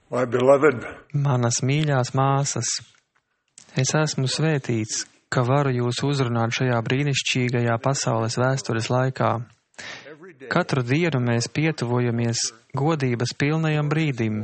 My beloved, Manas mīļās māsas, es esmu svētīts, ka varu jūs uzrunāt šajā brīnišķīgajā pasaules vēstures laikā. Katru dienu mēs pietuvojamies godības pilnajam brīdim,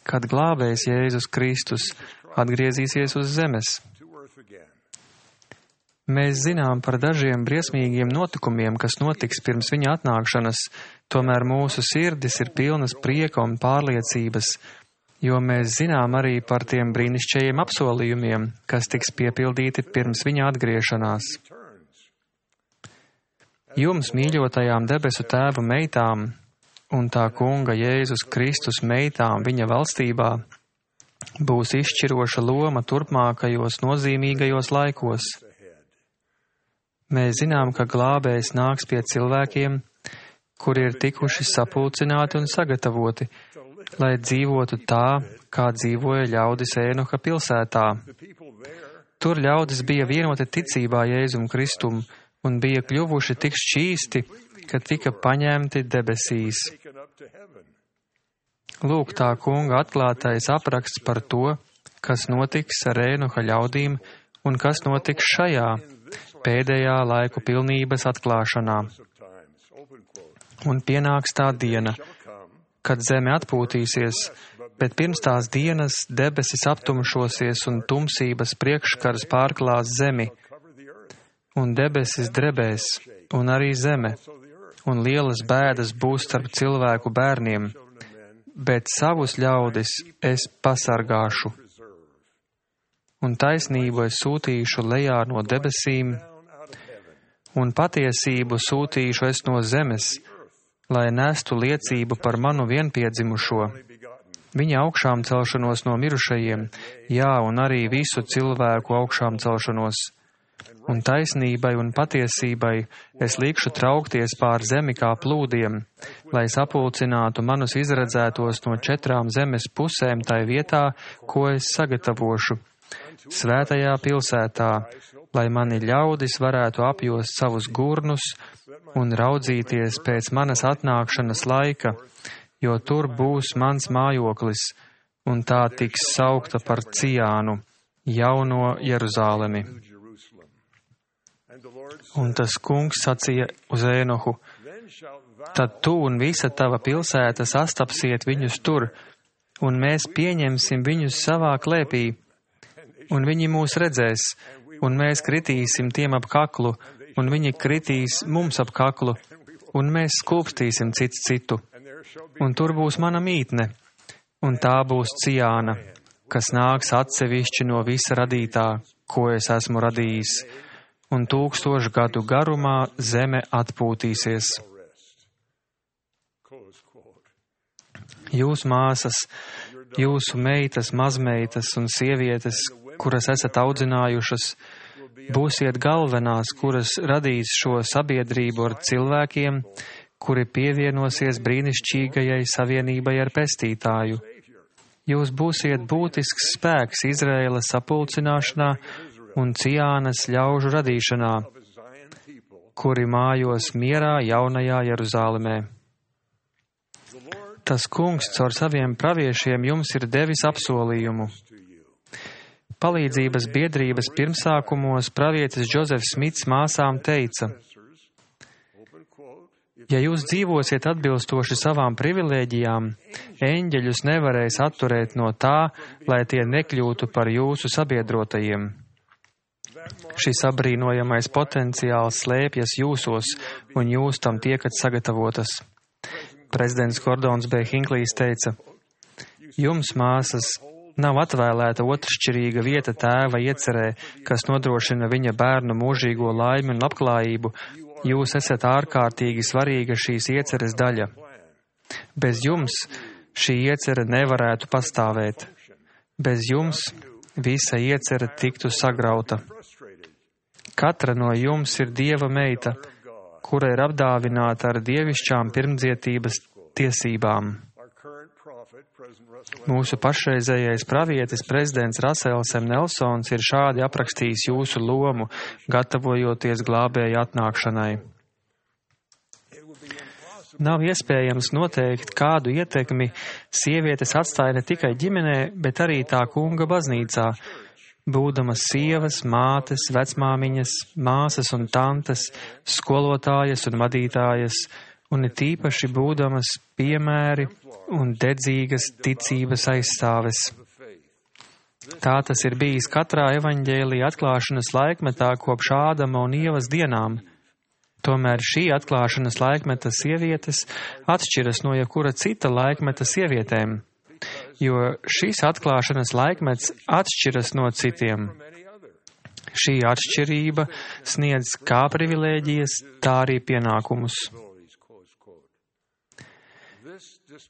kad glābējs Jēzus Kristus atgriezīsies uz zemes. Mēs zinām par dažiem briesmīgiem notikumiem, kas notiks pirms viņa atnākšanas, tomēr mūsu sirdis ir pilnas prieka un pārliecības, jo mēs zinām arī par tiem brīnišķīgiem apsolījumiem, kas tiks piepildīti pirms viņa atgriešanās. Jums, mīļotajām debesu tēva meitām un tā kunga Jēzus Kristus meitām viņa valstībā, būs izšķiroša loma turpmākajos nozīmīgajos laikos. Mēs zinām, ka glābējs nāks pie cilvēkiem, kuri ir tikuši sapulcināti un sagatavoti, lai dzīvotu tā, kā dzīvoja ļaudis Ēnoha pilsētā. Tur ļaudis bija vienoti ticībā Jēzum Kristum un bija kļuvuši tik šķīsti, ka tika paņemti debesīs. Lūk, tā kunga atklātais apraksts par to, kas notiks ar Ēnoha ļaudīm un kas notiks šajā pēdējā laiku pilnības atklāšanā. Un pienāks tā diena, kad zeme atpūtīsies, bet pirms tās dienas debesis aptumšosies un tumsības priekškars pārklās zemi, un debesis drebēs, un arī zeme, un lielas bēdas būs starp cilvēku bērniem, bet savus ļaudis es pasargāšu. Un taisnību es sūtīšu lejā no debesīm, un patiesību sūtīšu es no zemes, lai nestu liecību par manu vienpiedzimušo, viņa augšām celšanos no mirušajiem, jā, un arī visu cilvēku augšām celšanos. Un taisnībai un patiesībai es likšu traukties pār zemi kā plūdiem, lai sapulcinātu manus izredzētos no 4 zemes pusēm tai vietā, ko es sagatavošu, svētajā pilsētā, lai mani ļaudis varētu apjost savus gurnus un raudzīties pēc manas atnākšanas laika, jo tur būs mans mājoklis, un tā tiks saukta par Ciānu, jauno Jeruzālemi. Un tas kungs sacīja uz Ēnohu: tad tu un visa tava pilsēta sastapsiet viņus tur, un mēs pieņemsim viņus savā klēpī, un viņi mūs redzēs, un mēs kritīsim tiem ap kaklu, un viņi kritīs mums ap kaklu, un mēs skūpstīsim cits citu. Un tur būs mana mītne, un tā būs Ciāna, kas nāks atsevišķi no visa radītā, ko es esmu radījis, un 1000 gadu garumā zeme atpūtīsies. Jūs māsas, jūsu meitas, mazmeitas un sievietes, kuras esat audzinājušas, būsiet galvenās, kuras radīs šo sabiedrību ar cilvēkiem, kuri pievienosies brīnišķīgajai savienībai ar Pestītāju. Jūs būsiet būtisks spēks Izraēlas sapulcināšanā un Ciānas ļaužu radīšanā, kuri mājos mierā jaunajā Jeruzālemē. Tas kungs caur saviem praviešiem jums ir devis apsolījumu. Palīdzības biedrības pirmsākumos pravietis Džozefs Smits māsām teica: ja jūs dzīvosiet atbilstoši savām privilēģijām, eņģeļus nevarēs atturēt no tā, lai tie nekļūtu par jūsu sabiedrotajiem. Šis apbrīnojamais potenciāls slēpjas jūsos, un jūs tam tiekat sagatavotas. Prezidents Gordons B. Hinklijs teica: jums, māsas, nav atvēlēta otršķirīga vieta tēva iecerē, kas nodrošina viņa bērnu mūžīgo laimi un labklājību. Jūs esat ārkārtīgi svarīga šīs ieceres daļa. Bez jums šī iecere nevarētu pastāvēt. Bez jums visa iecere tiktu sagrauta. Katra no jums ir Dieva meita, kura ir apdāvināta ar dievišķām pirmdzietības tiesībām. Mūsu pašreizējais pravietis prezidents Rasels M. Nelsons ir šādi aprakstījis jūsu lomu, gatavojoties glābēja atnākšanai. Nav iespējams noteikt, kādu ietekmi sievietes atstāja ne tikai ģimenē, bet arī tā kunga baznīcā, būdamas sievas, mātes, vecmāmiņas, māsas un tantes, skolotājas un vadītājas, un it īpaši būdamas piemēri un dedzīgas ticības aizstāves. Tā tas ir bijis katrā evaņģēlija atklāšanas laikmetā kopš Ādama un Ievas dienām. Tomēr šī atklāšanas laikmeta sievietes atšķiras no jebkura cita laikmeta sievietēm, jo šīs atklāšanas laikmets atšķiras no citiem. Šī atšķirība sniedz kā privilēģijas, tā arī pienākumus.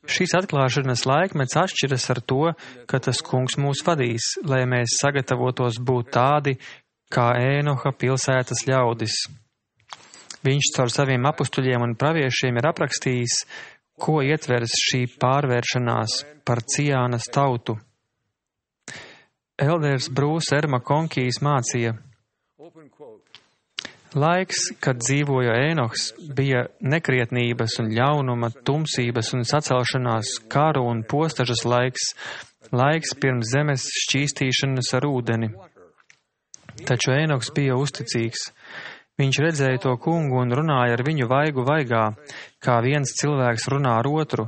Šīs atklāšanas laikmets atšķiras ar to, ka tas kungs mūs vadīs, lai mēs sagatavotos būt tādi, kā Ēnoha pilsētas ļaudis. Viņš caur saviem apustuļiem un praviešiem ir aprakstījis, ko ietvers šī pārvēršanās par Ciānas tautu. Elders Brūss R. Makonkijs mācīja: laiks, kad dzīvoja Ēnohs, bija nekrietnības un ļaunuma, tumsības un sacelšanās, karu un postažas laiks pirms zemes šķīstīšanas ar ūdeni. Taču Ēnohs bija uzticīgs. Viņš redzēja to kungu un runāja ar viņu vaigu vaigā, kā viens cilvēks runā ar otru.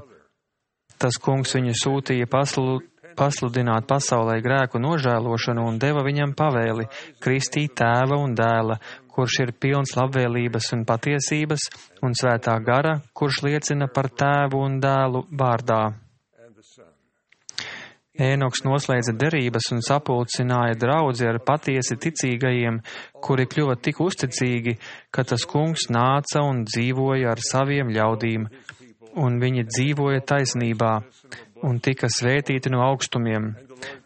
Tas kungs viņu sūtīja pasludināt pasaulē grēku nožēlošanu un deva viņam pavēli kristīt tēva un dēla, kurš ir pilns labvēlības un patiesības, un svētā gara, kurš liecina par tēvu un dēlu vārdā. Ēnoks noslēdza derības un sapulcināja draudzi ar patiesi ticīgajiem, kuri kļuva tik uzticīgi, ka tas kungs nāca un dzīvoja ar saviem ļaudīm, un viņi dzīvoja taisnībā, un tika svētīti no augstumiem.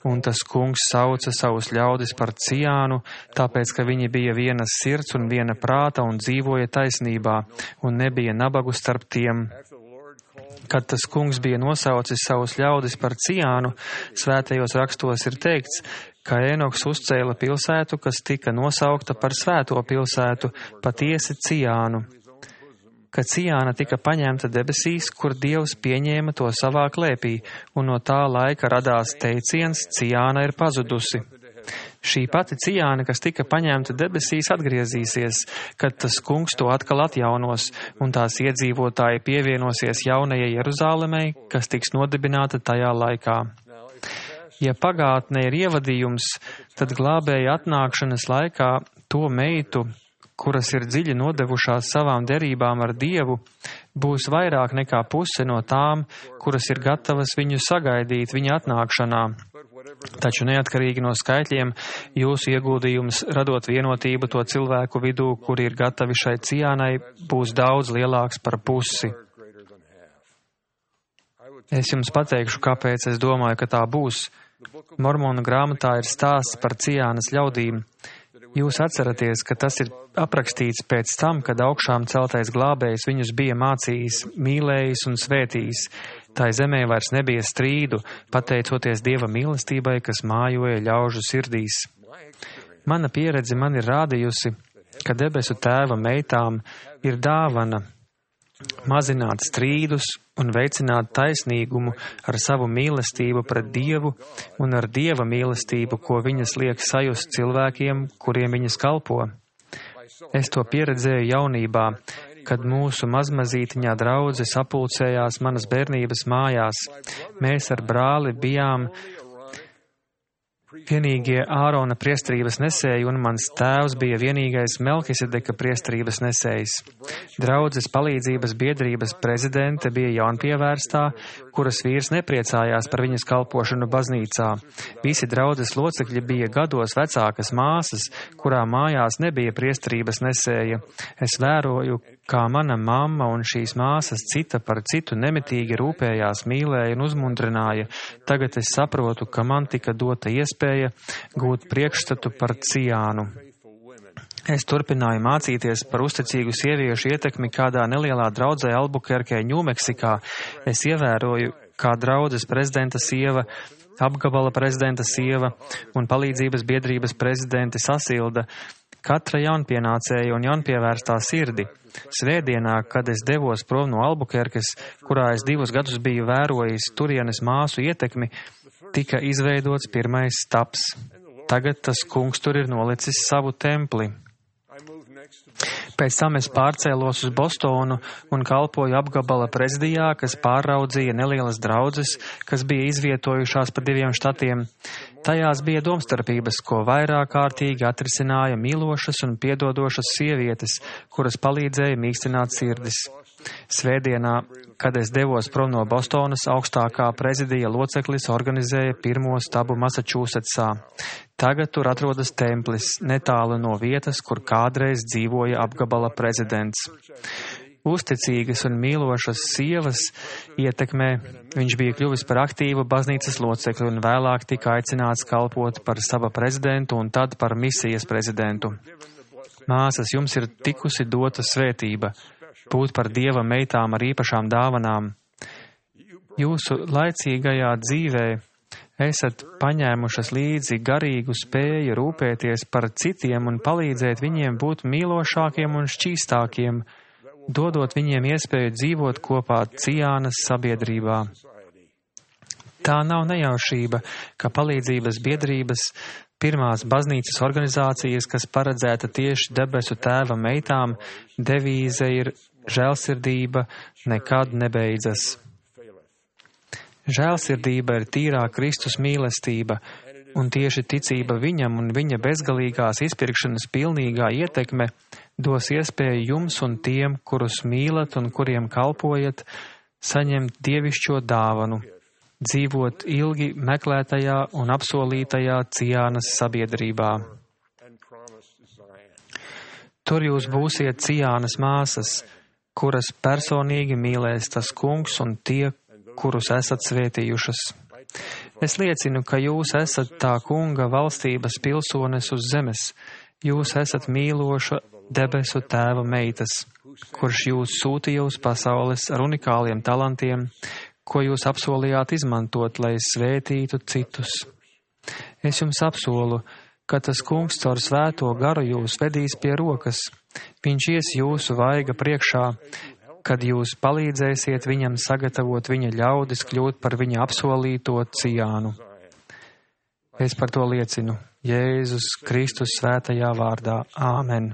Un tas kungs sauca savus ļaudis par Ciānu, tāpēc, ka viņi bija vienas sirds un viena prāta un dzīvoja taisnībā, un nebija nabagu starp tiem. Kad tas kungs bija nosaucis savus ļaudis par Ciānu, svētajos rakstos ir teikts, ka Ēnoks uzcēla pilsētu, kas tika nosaukta par svēto pilsētu, patiesi Ciānu. Ka Ciāna tika paņemta debesīs, kur Dievs pieņēma to savā klēpī, un no tā laika radās teiciens Ciāna ir pazudusi. Šī pati Ciāna, kas tika paņemta debesīs, atgriezīsies, kad tas kungs to atkal atjaunos, un tās iedzīvotāji pievienosies jaunajai Jeruzālemei, kas tiks nodibināta tajā laikā. Ja pagātne ir ievadījums, tad glābēja atnākšanas laikā to meitu, kuras ir dziļi nodevušās savām derībām ar Dievu, būs vairāk nekā puse no tām, kuras ir gatavas viņu sagaidīt viņa atnākšanā. Taču neatkarīgi no skaitļiem, jūsu ieguldījums radot vienotību to cilvēku vidū, kuri ir gatavi šai Ciānai, būs daudz lielāks par pusi. Es jums pateikšu, kāpēc es domāju, ka tā būs. Mormonu grāmatā ir stāsts par Ciānas ļaudīm. Jūs atceraties, ka tas ir aprakstīts pēc tam, kad augšām celtais glābējs viņus bija mācījis, mīlējis un svētījis. Tai zemē vairs nebija strīdu, pateicoties Dieva mīlestībai, kas mājoja ļaužu sirdīs. Mana pieredze man ir rādījusi, ka debesu tēva meitām ir dāvana mazināt strīdus un veicināt taisnīgumu ar savu mīlestību pret Dievu un ar Dieva mīlestību, ko viņas liek sajust cilvēkiem, kuriem viņas kalpo. Es to pieredzēju jaunībā, kad mūsu mazmazītiņā draudze sapulcējās manas bērnības mājās. Mēs ar brāli bijām vienīgie Ārona priesterības nesēji, un mans tēvs bija vienīgais Melkisedeka priesterības nesējs. Draudzes palīdzības biedrības prezidente bija jaunpievērstā, kuras vīrs nepriecājās par viņas kalpošanu baznīcā. Visi draudzes locekļi bija gados vecākas māsas, kurām mājās nebija priesterības nesēja. Es vēroju, kā mana mamma un šīs māsas cita par citu nemitīgi rūpējās, mīlēja un uzmundrināja. Tagad es saprotu, ka man tika dota iespēja gūt priekšstatu par Ciānu. Es turpināju mācīties par uzticīgu sieviešu ietekmi kādā nelielā draudzē Albukerkē, Ņūmeksikā. Es ievēroju, kā draudzes prezidenta sieva, apgabala prezidenta sieva un palīdzības biedrības prezidente Sasilda katra jaunpienācēja un jaunpievērstā sirdi. Svētdienā, kad es devos prom no Albukerkes, kurā es 2 gadus biju vērojis turienes māsu ietekmi, tika izveidots pirmais stabs. Tagad tas kungs tur ir nolicis savu templi. Pēc tam es pārcēlos uz Bostonu un kalpoju apgabala prezidijā, kas pāraudzīja nelielas draudzes, kas bija izvietojušās pa 2 štatiem. Tajās bija domstarpības, ko vairāk kārtīgi atrisināja mīlošas un piedodošas sievietes, kuras palīdzēja mīkstināt sirdis. Svētdienā, kad es devos prom no Bostonas, augstākā prezidija loceklis organizēja pirmo stabu Massachusettsā. Tagad tur atrodas templis, netālu no vietas, kur kādreiz dzīvoja apgabala prezidents. Uzticīgas un mīlošas sievas ietekmē viņš bija kļuvis par aktīvu baznīcas locekli un vēlāk tika aicināts kalpot par staba prezidentu un tad par misijas prezidentu. Māsas, jums ir tikusi dota svētība būt par Dieva meitām ar īpašām dāvanām. Jūsu laicīgajā dzīvē esat paņēmušas līdzi garīgu spēju rūpēties par citiem un palīdzēt viņiem būt mīlošākiem un šķīstākiem, dodot viņiem iespēju dzīvot kopā Ciānas sabiedrībā. Tā nav nejaušība, ka palīdzības biedrības, pirmās baznīcas organizācijas, kas paredzēta tieši debesu tēva meitām, devīze ir žēlsirdība nekad nebeidzas. Žēlsirdība ir tīrā Kristus mīlestība, un tieši ticība viņam un viņa bezgalīgās izpirkšanas pilnīgā ietekme dos iespēju jums un tiem, kurus mīlat un kuriem kalpojat, saņemt dievišķo dāvanu, dzīvot ilgi meklētajā un apsolītajā Ciānas sabiedrībā. Tur jūs būsiet Ciānas māsas, kuras personīgi mīlēs tas kungs un tie, kurus esat svētījušas. Es liecinu, ka jūs esat tā kunga valstības pilsones uz zemes. Jūs esat mīloša debesu tēva meitas, kurš jūs sūtīja uz pasaules ar unikāliem talantiem, ko jūs apsolījāt izmantot, lai svētītu citus. Es jums apsolu, ka tas kungs caur svēto garu jūs vedīs pie rokas. Viņš ies jūsu vaiga priekšā, kad jūs palīdzēsiet viņam sagatavot viņa ļaudis kļūt par viņa apsolīto Ciānu. Es par to liecinu Jēzus Kristus svētajā vārdā. Āmen.